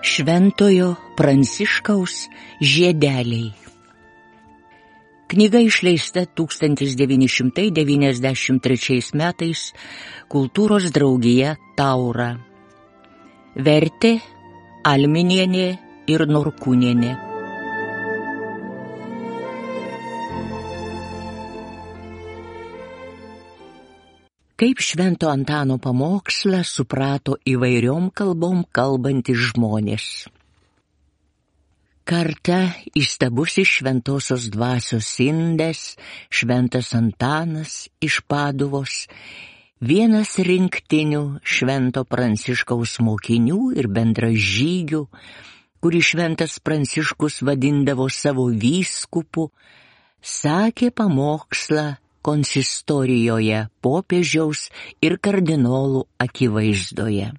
Šventojo Pranciškaus žiedeliai. Knyga išleista 1993 metais Kultūros draugija Taura. Vertė Alminienė ir Norkūnienė. Kaip Švento Antano pamokslą suprato įvairiom kalbom kalbantys žmonės. Kartą įstabusis šventosios dvasios indas, Šventas Antanas iš Paduvos, vienas rinktinių Švento Pranciškaus mokinių ir bendražygių, kurį Šventas Pranciškus vadindavo savo vyskupu, sakė pamokslą konsistorijoje popiežiaus ir kardinolų akivaizdoje.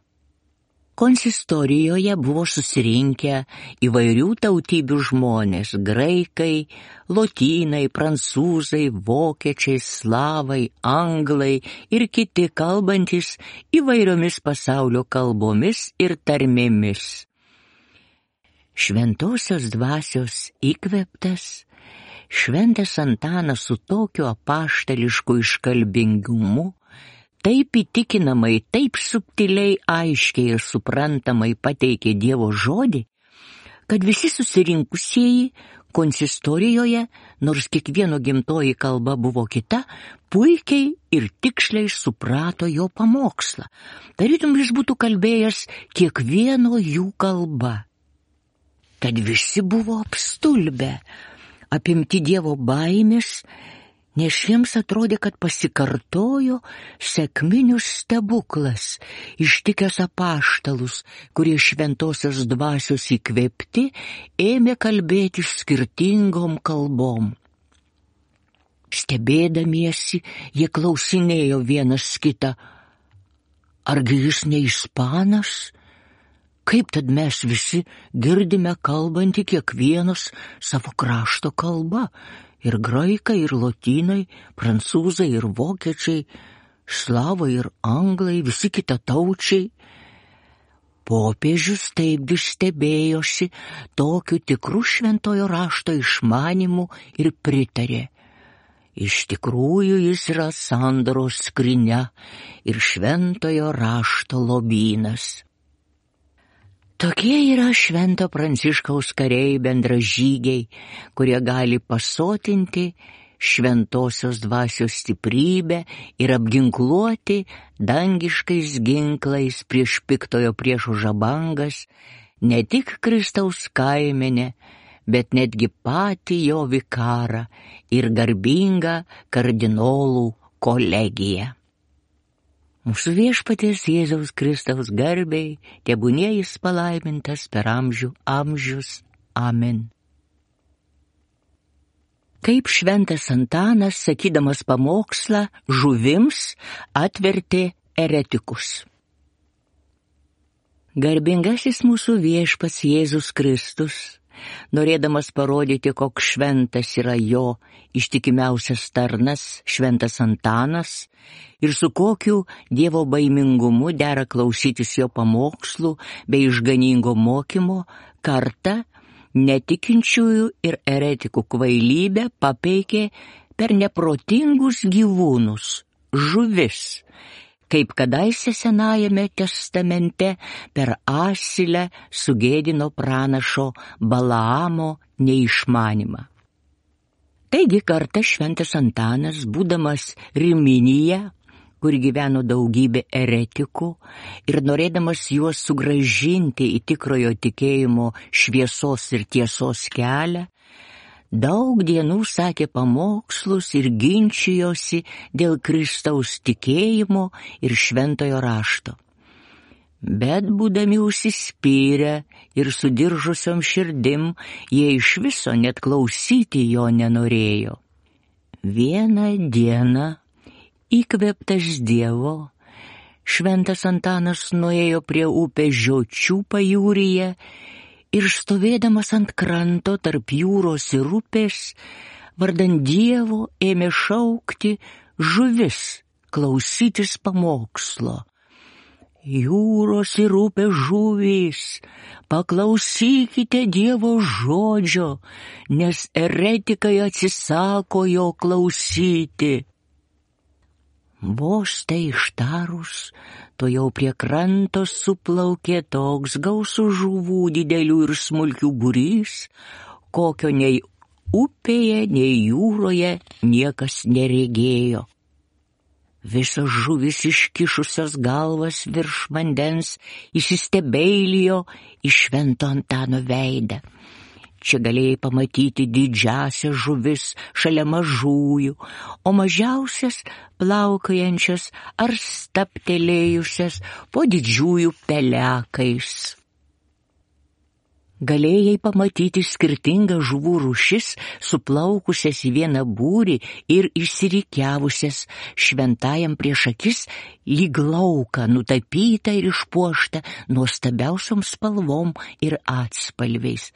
Konsistorijoje buvo susirinkę įvairių tautybių žmonės – graikai, lotynai, prancūzai, vokiečiai, slavai, anglai ir kiti kalbantys įvairiomis pasaulio kalbomis ir tarmėmis. Šventosios dvasios įkvėptas, Šventas Antanas su tokiu apaštališku iškalbingumu, taip įtikinamai, taip subtiliai, aiškiai ir suprantamai pateikė Dievo žodį, kad visi susirinkusieji konsistorijoje, nors kiekvieno gimtoji kalba buvo kita, puikiai ir tiksliai suprato jo pamokslą. Tarytum jis būtų kalbėjęs kiekvieno jų kalba. Tad visi buvo apstulbę, apimti Dievo baimės, nes jiems atrodė, kad pasikartojo sekminių stebuklas, ištikęs apaštalus, kurie šventosios dvasios įkvėpti ėmė kalbėti skirtingom kalbom. Stebėdamiesi, jie klausinėjo vienas kitą, argi jis ne ispanas? Kaip tad mes visi girdime kalbantį kiekvienas savo krašto kalba, ir graikai, ir lotynai, prancūzai, ir vokiečiai, slavai ir anglai, visi kitataučiai. Popiežius taipgi stebėjosi tokiu tikru šventojo rašto išmanimu ir pritarė. Iš tikrųjų jis yra sandoros skrynia ir šventojo rašto lobynas. Tokie yra Švento Pranciškaus kariai bendražygiai, kurie gali pasotinti šventosios dvasios stiprybę ir apginkluoti dangiškais ginklais prieš piktojo priešo žabangas ne tik Kristaus kaimenę, bet netgi patį jo vikarą ir garbingą kardinolų kolegiją. Mūsų Viešpaties Jėzaus Kristaus garbei, tebūnie jis palaimintas per amžius. Amen. Kaip Šventas Antanas, sakydamas pamokslą, žuvims atvertė eretikus. Garbingasis mūsų Viešpats Jėzus Kristus, norėdamas parodyti, koks šventas yra jo ištikimiausias tarnas, Šventas Antanas, ir su kokiu Dievo baimingumu dera klausytis jo pamokslų bei išganingo mokymo, kartą netikinčiųjų ir eretikų kvailybę papeikė per neprotingus gyvūnus, žuvis, kaip kadaise Senajame testamente per asilę sugėdino pranašo Balaamo neišmanimą. Taigi kartą Šventas Antanas, būdamas Riminija, kur gyveno daugybė eretikų, ir norėdamas juos sugrąžinti į tikrojo tikėjimo šviesos ir tiesos kelią, daug dienų sakė pamokslus ir ginčijosi dėl Kristaus tikėjimo ir šventojo rašto. Bet būdami užsispyrę ir sudiržusiom širdim, jie iš viso net klausyti jo nenorėjo. Vieną dieną, įkvėptas Dievo, Šventas Antanas nuėjo prie upės Žiočių pajūryje ir stovėdamas ant kranto tarp jūros ir upės, vardan Dievo ėmė šaukti žuvis, klausytis pamokslo. Jūros ir upės žuvys, paklausykite Dievo žodžio, nes eretikai atsisako jo klausyti. Vos tai ištarus, to jau prie kranto suplaukė toks gausus žuvų didelių ir smulkių būrys, kokio nei upėje, nei jūroje niekas neregėjo. Visos žuvys iškišusios galvas virš vandens įsistebeilijo į Švento Antano veidą. Čia galėjai pamatyti didžiasias žuvis šalia mažųjų, o mažiausias plaukiojančias ar staptelėjusias po didžiųjų pelekais. Galėjai pamatyti skirtingas žuvų rūšis, suplaukusias į vieną būrį ir išsirikiavusias šventajam prieš akis lyg lauką, nutapytą ir išpuoštą nuostabiausiom spalvom ir atspalviais.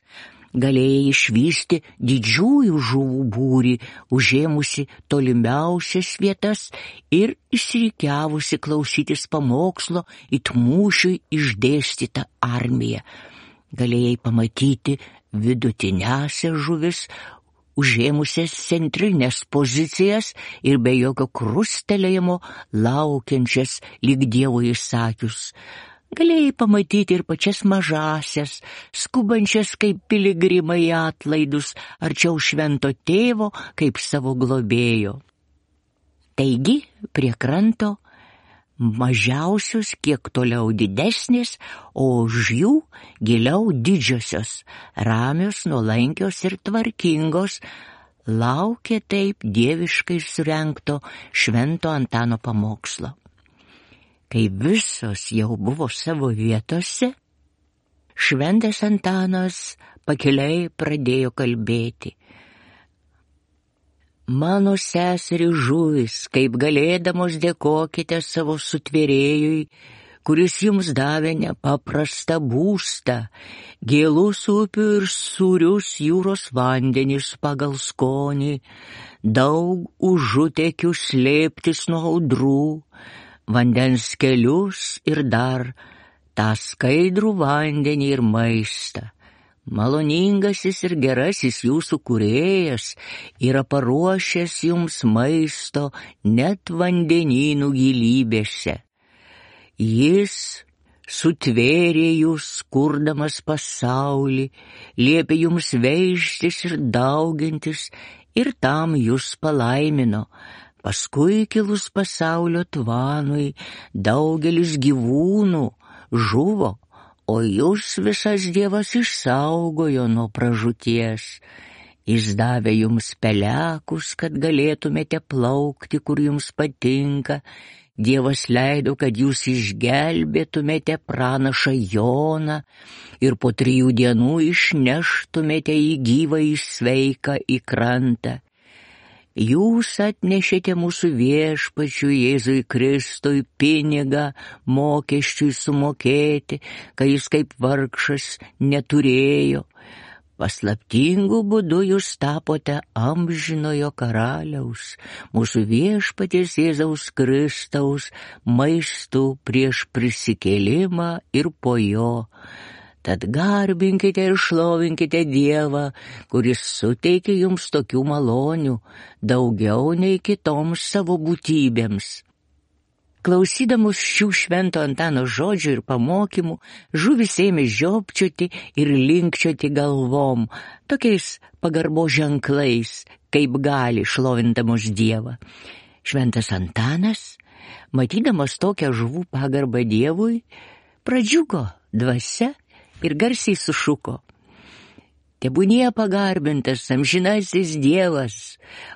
Galėjai išvysti didžiųjų žuvų būrį, užėmusi tolimiausias vietas ir išsirikiavusi klausytis pamokslo it mūšiui išdėstytą armiją. Galėjai pamatyti vidutiniąsias žuvis, užėmusias centrinės pozicijas ir be jokio krustelėjimo laukiančias lyg Dievo įsakius. Galėjai pamatyti ir pačias mažasias, skubančias kaip piligrimai į atlaidus, arčiau Švento Tėvo kaip savo globėjo. Taigi, prie kranto mažiausios kiek toliau didesnės, o už jų giliau didžiosios, ramios, nuolankios ir tvarkingos, laukė taip dieviškai surengto Švento Antano pamokslo. Kai visos jau buvo savo vietose, Šventas Antanas pakiliai pradėjo kalbėti. Mano seseri žuvys, kaip galėdamos dėkokite savo sutvėrėjui, kuris jums davė nepaprastą būstą, gėlus upių ir sūrius jūros vandenis pagal skonį, daug užutekių slėptis nuo audrų, vandens kelius ir dar tą skaidrų vandenį ir maistą. Maloningasis ir gerasis jūsų kūrėjas yra paruošęs jums maisto net vandenynų gilybėse. Jis sutvėrė jūs, kurdamas pasaulį, liepė jums veistis ir daugintis ir tam jūs palaimino. Paskui kilus pasaulio tvanui daugelis gyvūnų žuvo, o jūs visas Dievas išsaugojo nuo pražūties. Jis davė jums pelekus, kad galėtumėte plaukti, kur jums patinka. Dievas leido, kad jūs išgelbėtumėte pranašą Joną ir po 3 dienų išneštumėte jį gyvą į sveiką į krantą. Jūs atnešėte mūsų viešpačiui Jėzui Kristui pinigą mokesčiui sumokėti, kai jis kaip vargšas neturėjo. Paslaptingu būdu jūs tapote amžinojo karaliaus, mūsų viešpaties Jėzaus Kristaus maistu prieš prisikėlimą ir po jo. Tad garbinkite ir šlovinkite Dievą, kuris suteikė jums tokių malonių, daugiau nei kitoms savo būtybėms. Klausydamus šių Švento Antano žodžių ir pamokymų, žuvys ėmė žiopčioti ir linkčioti galvom, tokiais pagarbo ženklais, kaip gali šlovindamos Dievą. Šventas Antanas, matydamas tokią žuvų pagarbą Dievui, pradžiugo dvasia ir garsiai sušuko. Tebūnie pagarbintas amžinasis Dievas,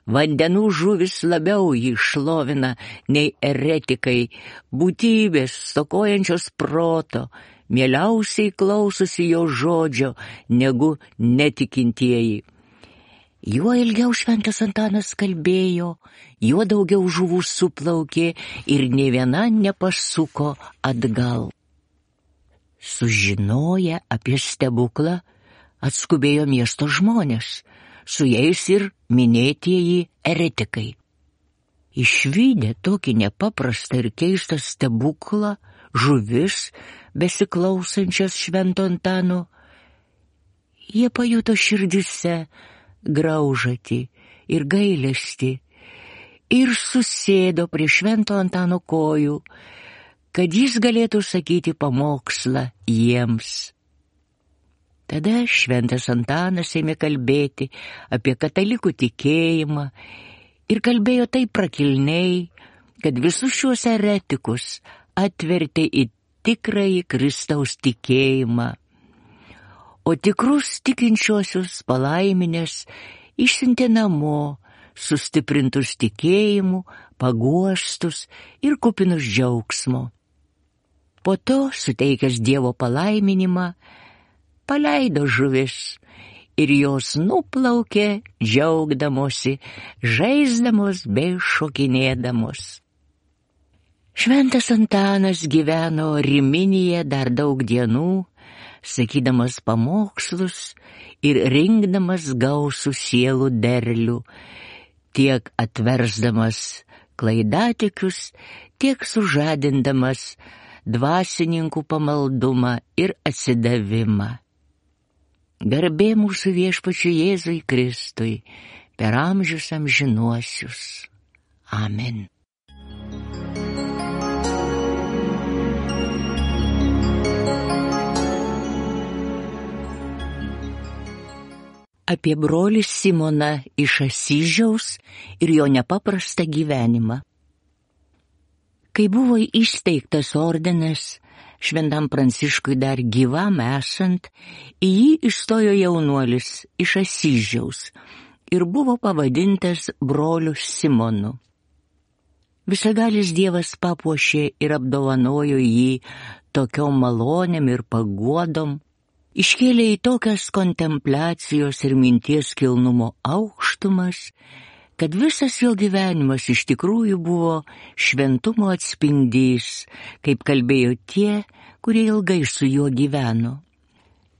vandenų žuvis labiau jį šlovina nei eretikai, būtybės stokojančios proto, mieliausiai klausosi jo žodžio negu netikintieji. Juo ilgiau Šventas Antanas kalbėjo, juo daugiau žuvų suplaukė ir nė viena nepasuko atgal. Sužinoję apie stebuklą, atskubėjo miesto žmonės, su jais ir minėtieji eretikai. Išvydę tokį nepaprastą ir keistą stebuklą, žuvis, besiklausančias Švento Antano, jie pajuto širdise graužatį ir gailestį ir susėdo prie Švento Antano kojų, kad jis galėtų sakyti pamokslą jiems. Tada Šventas Antanas ėmė kalbėti apie katalikų tikėjimą ir kalbėjo taip prakilniai, kad visus šiuos eretikus atvertė į tikrąjį Kristaus tikėjimą, o tikrus tikinčiuosius palaiminęs išsiuntė namo, sustiprintus tikėjimu, paguostus ir kupinus džiaugsmo. Po to, suteikęs Dievo palaiminimą, paleido žuvis ir jos nuplaukė džiaugdamosi, žaisdamos bei šokinėdamos. Šventas Antanas gyveno Riminėje dar daug dienų, sakydamas pamokslus ir rinkdamas gausų sielų derlių, tiek atversdamas klaidatikius, tiek sužadindamas dvasininkų pamaldumą ir atsidavimą. Garbė mūsų Viešpačiui Jėzui Kristui per amžius amžinuosius. Amen. Apie brolį Simoną iš Asyžiaus ir jo nepaprastą gyvenimą. Kai buvo įsteigtas ordinas, Šventam Pranciškui dar gyvam esant, į jį įstojo jaunuolis iš Asyžiaus ir buvo pavadintas broliu Simonu. Visagalis Dievas papuošė ir apdovanojo jį tokiom malonėm ir paguodom, iškėlė į tokias kontempliacijos ir minties kilnumo aukštumas, kad visas jo gyvenimas iš tikrųjų buvo šventumo atspindys, kaip kalbėjo tie, kurie ilgai su juo gyveno.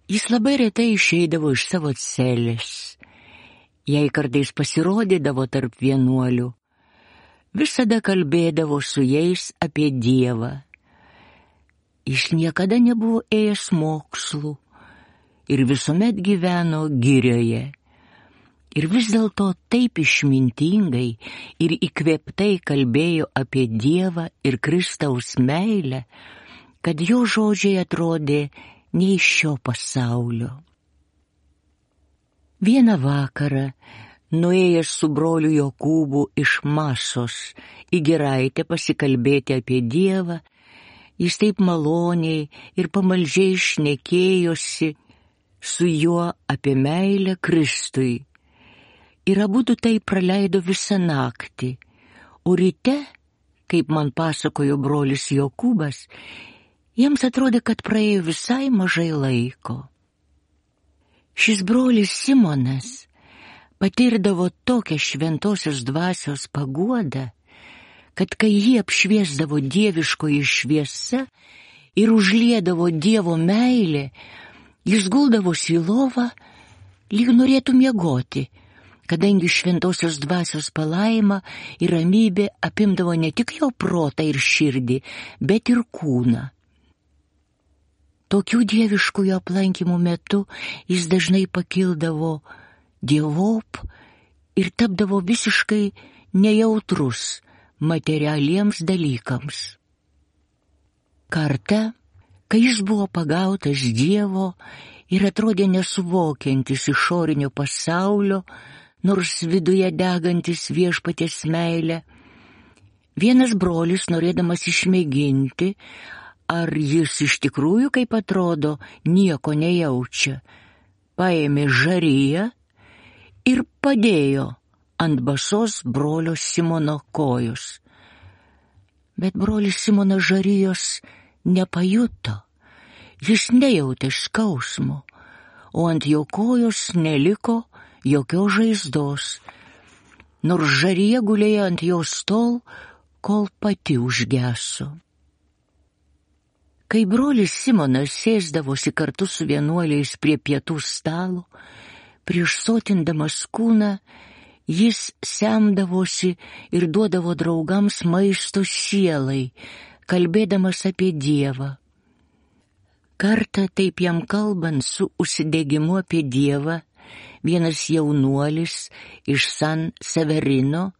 Jis labai retai išeidavo iš savo celės. Jei kartais pasirodydavo tarp vienuolių, visada kalbėdavo su jais apie Dievą. Jis niekada nebuvo ėjęs mokslų ir visuomet gyveno girioje. Ir vis dėlto taip išmintingai ir įkvėptai kalbėjo apie Dievą ir Kristaus meilę, kad jo žodžiai atrodė ne iš šio pasaulio. Vieną vakarą, nuėjęs su broliu Jokūbu iš Masos į giraitę pasikalbėti apie Dievą, jis taip maloniai ir pamaldžiai šnekėjosi su juo apie meilę Kristui. Ir abudu tai praleido visą naktį, o ryte, kaip man pasakojo brolis Jokūbas, jiems atrodė, kad praėjo visai mažai laiko. Šis brolis Simonas patirdavo tokią šventosios dvasios paguodą, kad kai jį apšviesdavo dieviškoji šviesa ir užliedavo Dievo meilė, jis guldavosi į lovą, lyg norėtų miegoti, kadangi šventosios dvasios palaima ir ramybė apimdavo ne tik jo protą ir širdį, bet ir kūną. Tokių dieviškųjų aplankymų metu jis dažnai pakildavo dievop ir tapdavo visiškai nejautrus materialiems dalykams. Kartą, kai jis buvo pagautas Dievo ir atrodė nesuvokiantis išorinio pasaulio, nors viduje degantis Viešpaties meilę, vienas brolis, norėdamas išmėginti, ar jis iš tikrųjų, kaip atrodo, nieko nejaučia, paėmė žariją ir padėjo ant basos brolio Simono kojos. Bet brolis Simonas žarijos nepajuto, jis nejautė skausmo, o ant jo kojos neliko jokios žaizdos, nors žarija gulėjo ant jos tol, kol pati užgeso. Kai brolis Simonas sėsdavosi kartu su vienuoliais prie pietų stalo, prieš sotindamas kūną, Jis semdavosi ir duodavo draugams maisto sielai, kalbėdamas apie Dievą. Kartą taip jam kalbant su užsidegimu apie Dievą, vienas jaunuolis iš San Severino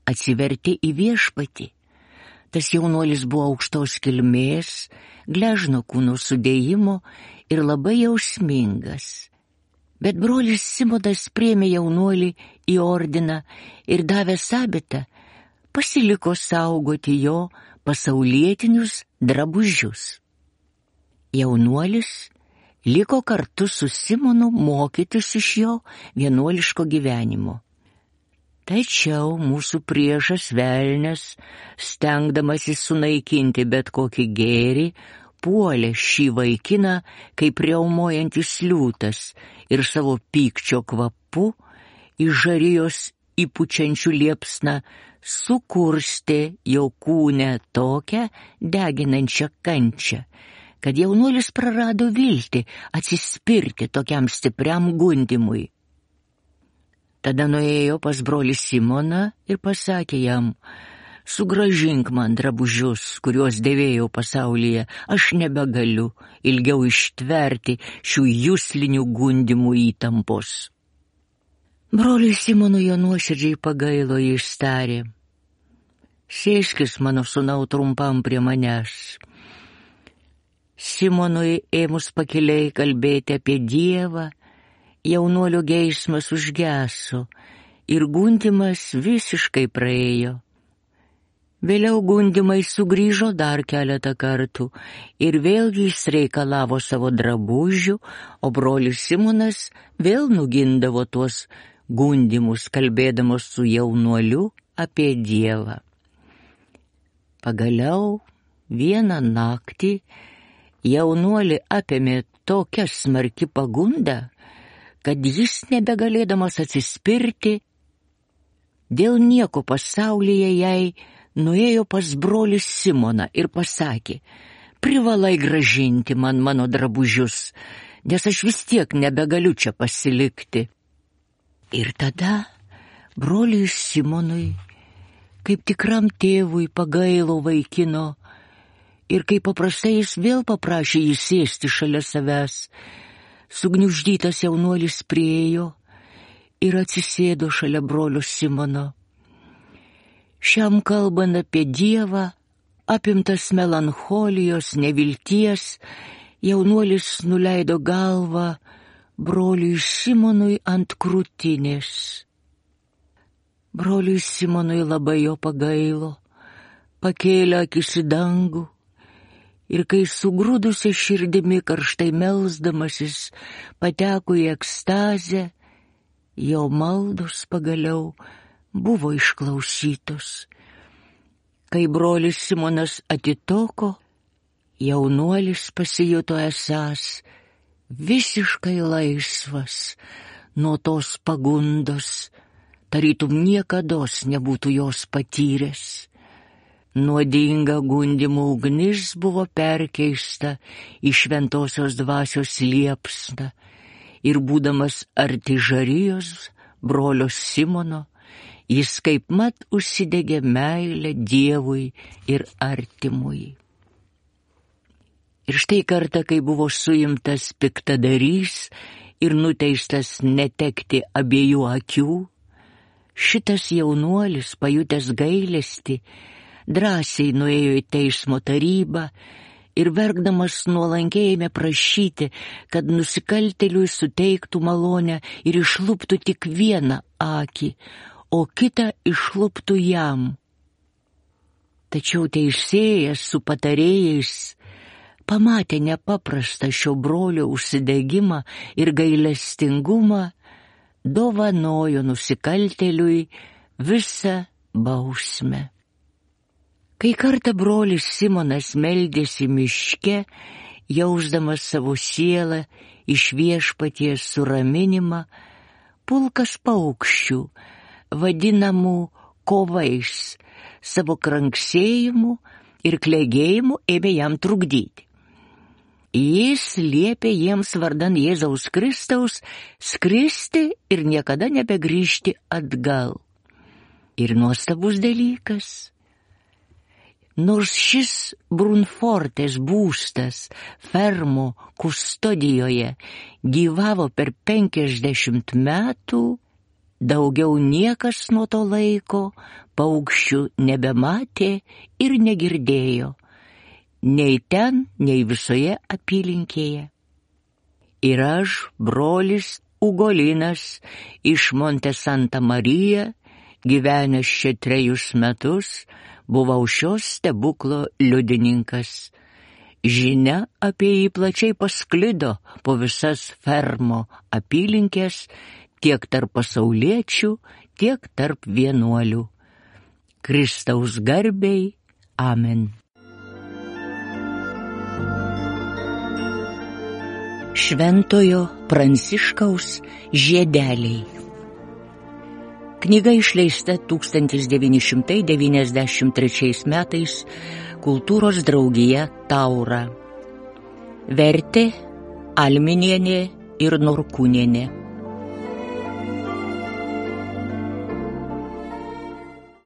atsivertė į Viešpatį. Tas jaunuolis buvo aukštos kilmės, gležno kūno sudėjimo ir labai jausmingas. Bet brolis Simonas priėmė jaunuolį į ordiną ir davęs abitą, pasiliko saugoti jo pasaulietinius drabužius. Jaunuolis liko kartu su Simonu mokytis iš jo vienuoliško gyvenimo. Tačiau mūsų priešas velnias, stengdamasis sunaikinti bet kokį gėrį, puolė šį vaikiną kaip riaumojantis liūtas ir savo pykčio kvapu iš žarijos įpučiančių liepsną sukurstė jo kūne tokią deginančią kančią, kad jaunuolis prarado viltį atsispirti tokiam stipriam gundymui. Tada nuėjo pas brolį Simoną ir pasakė jam: sugrąžink man drabužius, kuriuos dėvėjau pasaulyje, aš nebegaliu ilgiau ištverti šių juslinių gundymų įtampos. Broliui Simonui jo nuoširdžiai pagailo, jis tarė: sėskis, mano sūnau, trumpam prie manęs. Simonui ėmus pakiliai kalbėti apie Dievą, jaunuolio geismas užgeso ir gundymas visiškai praėjo. Vėliau gundymai sugrįžo dar keletą kartų ir vėlgi jis reikalavo savo drabužių, o brolis Simonas vėl nugindavo tuos gundymus, kalbėdamas su jaunuoliu apie Dievą. Pagaliau vieną naktį jaunuolį apėmė tokia smarki pagunda, kad jis nebegalėdamas atsispirti, dėl nieko pasaulyje jai nuėjo pas brolį Simoną ir pasakė: privalai grąžinti man mano drabužius, nes aš vis tiek nebegaliu čia pasilikti. Ir tada broliui Simonui, kaip tikram tėvui, pagailo vaikino ir kaip paprastai jis vėl paprašė jį sėsti šalia savęs. Sugniuždytas jaunuolis priėjo ir atsisėdo šalia brolio Simono. Šiam kalbant apie Dievą, apimtas melancholijos, nevilties, jaunuolis nuleido galvą broliui Simonui ant krūtinės. Broliui Simonui labai jo pagailo, pakėlė akis į dangų ir kai sugrūdusia širdimi karštai melsdamasis pateko į ekstazę, jo maldos pagaliau buvo išklausytos. Kai brolis Simonas atitoko, jaunuolis pasijuto esąs visiškai laisvas nuo tos pagundos, tarytum niekados nebūtų jos patyręs. Nuodinga gundymų ugnis buvo perkeista į šventosios dvasios liepsną ir būdamas arti žarijos brolio Simono, jis kaipmat užsidegė meilę Dievui ir artimui. Ir štai kartą, kai buvo suimtas piktadarys ir nuteistas netekti abiejų akių, šitas jaunuolis, pajutęs gailestį, drąsiai nuėjo į teismo tarybą ir verkdamas nuolankiai ėmė prašyti, kad nusikaltėliui suteiktų malonę ir išluptų tik vieną akį, o kitą išluptų jam. Tačiau teisėjas su patarėjais pamatė nepaprastą šio brolio užsidegimą ir gailestingumą, dovanojo nusikaltėliui visą bausmę. Kai kartą brolis Simonas meldėsi miške, jausdamas savo sielą iš Viešpaties suraminimą, pulkas paukščių, vadinamų kovais, savo kranksėjimu ir klegėjimu ėmė jam trukdyti. Jis liepė jiems vardan Jėzaus Kristaus skristi ir niekada nebegrįžti atgal. Ir nuostabus dalykas. Nors šis Brunfortės būstas Fermo kustodijoje gyvavo per 50 metų, daugiau niekas nuo to laiko paukščių nebematė ir negirdėjo, nei ten, nei visoje apylinkėje. Ir aš, brolis Ugolinas iš Monte Santa Marija, gyvenęs čia 3 metus, buvau šios stebuklo liudininkas. Žinia apie jį plačiai pasklido po visas Fermo apylinkės, tiek tarp pasauliečių, tiek tarp vienuolių. Kristaus garbei. Amen. Šventojo Pranciškaus žiedeliai. Knyga išleista 1993 metais Kultūros draugija Taura. Vertė Alminienė ir Norkūnienė.